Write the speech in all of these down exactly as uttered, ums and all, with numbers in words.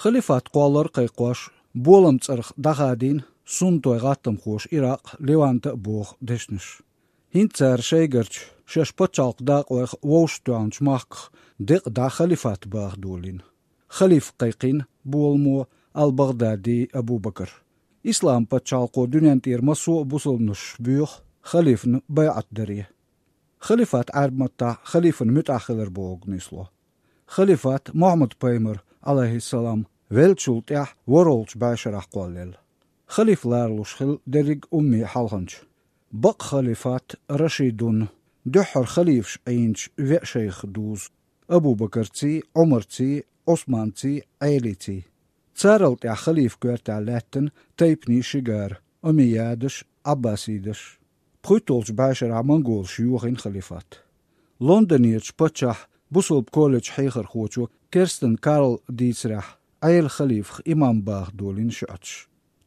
Халифат кхоллар кхайкхош, болам цӀарах дӀахадийна суннатойн гӀаттамхоша Иракъ, Левант а боху дешнаш. ХӀинца цара шайгарчу шаьш пачхьалкх дакъойх вовшахтоьхначу махках декъа дӀа халифат баха долийна. Халиф кхайкхийна боламо Ал-Багъдади Абу-Бакар. Ислам-пачхьалкхо дуьнен тӀера массо а бусалбанаш боьху халифана байӀат даре. Халифат Ӏаьрбийн маттахь халифан муьтӀахь хилар бохург нисло. Халифат Мухьаммад-пайхамар, Ӏалайхиссалам, веллачул тӀаьхьа ворхӀалгӀачу бӀешарахь кхоллаелла. Халиф ларалуш хилла дерриг а умми хьалханча. Бакъ халифат Рашидун, дуьххьара халифаш Ӏийначу веа шайх дузу: Абу-Бакарций, Ӏумарций, Ӏусманций, Ӏелиций. Царал тӀаьхьа халифан коьртехь лаьттина тайпанийн ши гара: омейядаш, Ӏаббасидаш. ПхуьтталгӀачу бӀешарахь монголаша йохийна халифат. Лондонерчу паччахьан бусалба колледжан хьехархочо Керстен Карла дийцарехь, Ӏелин халифах имам баха долийна шиӀаташ.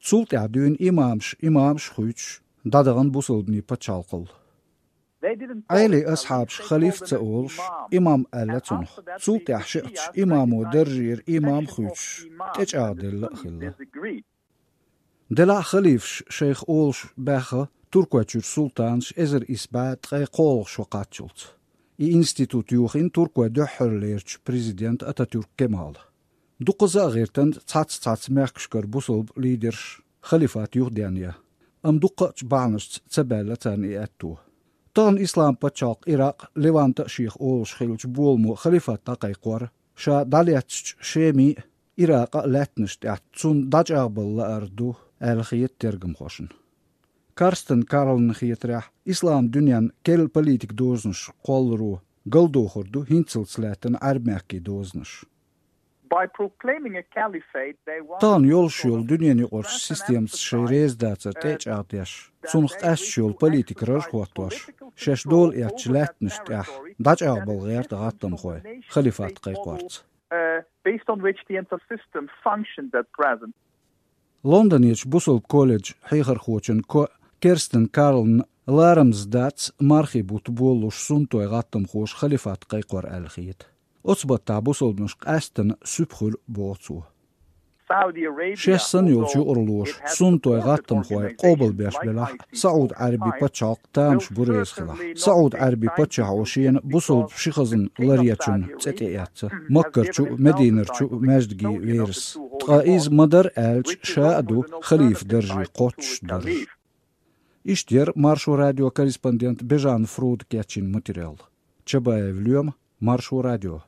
Цул тӀаьхьа дуьйна имамаш, имамаш а хуьйцуш, дӀадахана бусалбанийн пачхьалкхалла. Ӏелин асхьабаша халиф а ца олуш, имам аьлла цунах. Цул тӀаьхьа шиӀаташ имамо даржера имам а хуьйцуш, тӀечӀагӀделла а хилла. Делахь а халифаш шайх олуш баьхна Туркойчуьра султанаш эзар исс бӀе ткъе кхоалгӀа шо кхаччалц. И институт йохийна Туркойн дуьххьарлерчу президента Ататюрк Кемала. Дукхазза а гӀиртан цхьацца-цхьацца мехкашкара бусалба лидерш халифат юхадеана. Амма дуккхачу бахьанашца ца баьлла царна и аьтто. Тахана Ислам-пачхьалкх Иракъ, Левант а шех олуш хиллачу боламо халифат дӀакхайкхор, ша дӀалецначу Шемин а, Иракъан а лаьттанаш тӀехь цунна дӀачӀагӀбала лаар ду аьлла хета тергамхошна. Карстен Карлна хетарехь, ислам дуьненна керла политикан дозанаш кхолларо галдохур ду хӀинццалц лаьттина Ӏаьрбийн мехкийн дозанаш. By proclaiming a caliphate, they want Тахана йолуш йолу дуьненаюкъарчу системаца шайн резадацар тӀечӀагӀдеш, цунах къаьсташ йолу политика раж хӀоттош, шаьш дола эцначу лаьттанаш тӀехь дӀачӀагӀбала гӀерта гӀаттамхой халифат кхайкхорца. Uh, based on which the entire system functions at present. Лондонерчу бусалба колледжан хьехархочун ко Керстен Карлна ларамза дац мархийн бутт болалуш суннатойн гӀаттамхоша халифат кхайкхор аьлла хета. Оцу баттахь бусалбанаш къаьсттина суьпа хуьлу, боху цо. Шаьш санна йолчу юкъараллаша суннатойн гӀаттамхой къобалбеш белахь а, СаӀуд-Ӏаьрбийн пачхьалкх тамаш бу реза хилахь. СаӀуд-Ӏаьрбийн паччахьо шена бусалба ши хазна ларъечун цӀе тӀеэцна Маккарчу а, Мединарчу а маьждигийн верас. Ткъа иза ма-дарра аьлча, ша а ду халифан даржийн кхоччуш дарж. Иштта яра Маршо радион корреспондента Бежан Фруда кечйина материал. Чабаев Лоьма, Маршо радио.